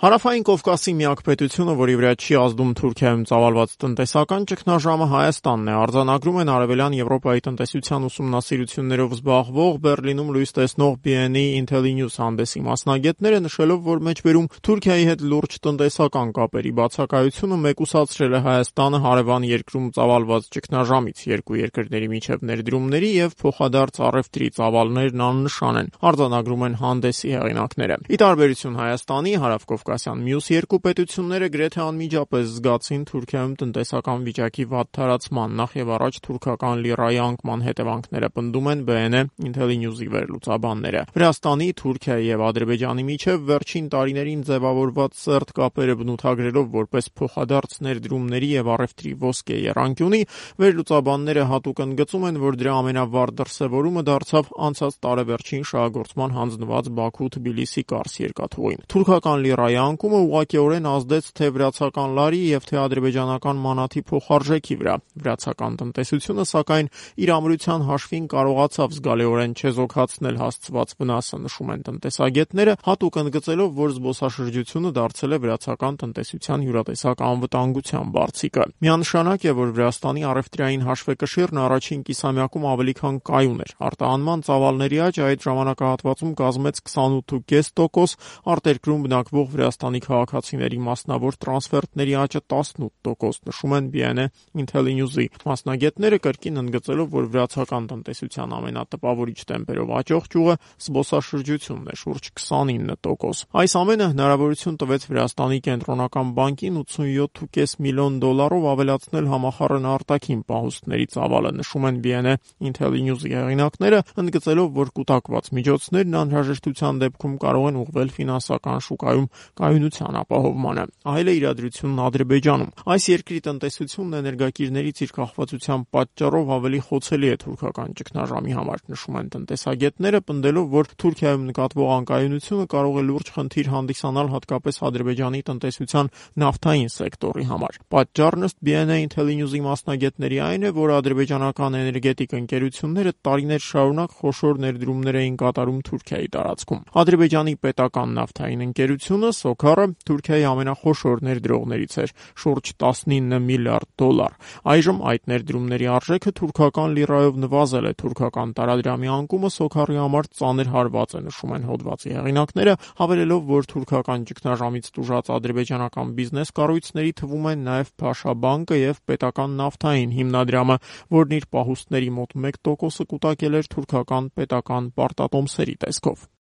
Հարավային Կովկասի միակ պետությունը, որի վրա չի ազդում Թուրքիայում ծավալված տնտեսական ճգնաժամը, Հայաստանն է, արձանագրում են Արևելյան Եվրոպայի տնտեսության ուսումնասիրություններով զբաղվող Բեռլինում լույս տեսնող BNE Intellinews հանդեսի մասնագետները, նշելով, որ մեջբերում Թուրքիայի հետ լուրջ տնտեսական կապերի բացակայությունը մեկուսացրել է Հայաստանը հարևան երկրում ծավալված ճգնաժամից, երկու երկրների միջև ներդրումների եւ փոխադարձ առևտրի ծավալներն աննշան են, արձանագրում են հանդեսի հեղինակները։ Ի տարբերություն Հայաստանի, Հարավկովկասյան մյուս երկու պետությունները գրեթե անմիջապես զգացին Թուրքիայում տնտեսական վիճակի վատ թարացման, նախ եւ առաջ թուրքական լիրայի անկման հետևանքները, պնդում են BNE Intellinews-ի վերլուծաբանները։ Վրաստանի, Թուրքիայի եւ Ադրբեջանի միջև վերջին տարիներին ձևավորված սերտ կապերը բնութագրելով որպես փոխադարձ ներդրումների եւ առևտրի ոսկե եռանկյունի, վերլուծաբանները հատուկ ընդգծում են, որ դրա ամենավառ դրսևորումը դարձավ անցած տարեվերջին շահագործման հանձնված Բաքու-Թբիլիսի Կարս երկաթուղին։ Թուրքական լիրայի անկումը ուղղակիորեն ազդեց թե վրացական լարի եւ թե ադրբեջանական մանաթի փոխարժեքի վրա։ Վրացական տնտեսությունը, սակայն, իր ամրության հաշվին կարողացավ զգալիորեն չեզոքացնել հասցված վնասը, նշում են տնտեսագետները, հատուկ ընդգծելով, որ զբոսաշրջությունը դարձել է վրացական տնտեսության յուրատեսակ անվտանգության բարձիկը։ Միանշանակ է, որ Վրաստանի առևտրային հաշվեկշիռն առաջին կիսամյակում ավելի քան կայուն էր։ Արտահանման ծավալների աճը այդ ժամանակահատվածում կազմեց 28.5%, արտերկրում բնակվող Վրաստանի քաղաքացիների մասնավոր տրանսֆերտների աճը 18%, նշում են BNE Intellinews-ի մասնագետները, կրկին ընդգծելով, որ վրացական տնտեսության ամենատպավորիչ տեմպերով աճող ճյուղը զբոսաշրջությունն է, շուրջ 29%։ Այս ամենը հնարավորություն տվեց Վրաստանի կենտրոնական բանկին $87.5 միլիոն ավելացնել համախառն արտաքին պահուստների ծավալը, նշում են BNE Intellinews-ի հեղինակները, ընդգծելով, որ կուտակված միջոցներն անհրաժեշտության դեպքում կարող են ուղղվել ֆինանսական շուկայում կայունության ապահովմանը։ Այլ է իրադրությունն Ադրբեջանում։ Այս երկրի տնտեսությունն էներգակիրներից իր կախվածության պատճառով ավելի խոցելի է թուրքական ճգնաժամի համար, նշում են տնտեսագետները, պնդելով, որ Թուրքիայում նկատվող անկայունությունը կարող է լուրջ խնդիր հանդիսանալ հատկապես Ադրբեջանի տնտեսության նավթային սեկտորի համար։ Պատճառն ըստ BNE Intellinews-ի մասնագետների այն է, որ ադրբեջանական էներգետիկ ընկերությունները տարիներ շարունակ խոշոր ներդրումներ էին կատարում Թուրքիայի տարածքում։ Ադրբեջանի պետական նավթային ընկերությունը Սոքարը Թուրքիայի ամենախոշոր ներդրողներից էր, շուրջ $19 միլիարդ։ Այժմ այդ ներդրումների արժեքը թուրքական լիրայով նվազել է, թուրքական տարադրամի անկումը Սոքարի համար ծանր հարված է, նշում են հոդվածի հեղինակները, հավելելով, որ թուրքական ճգնաժամից տուժած ադրբեջանական բիզնես կառույցների թվում են նաև Փաշա բանկը եւ պետական նավթային հիմնադրամը, որն իր պահուստների մոտ 1%-ը կուտակել էր թուրքական պետական պարտատոմսերի տեսքով։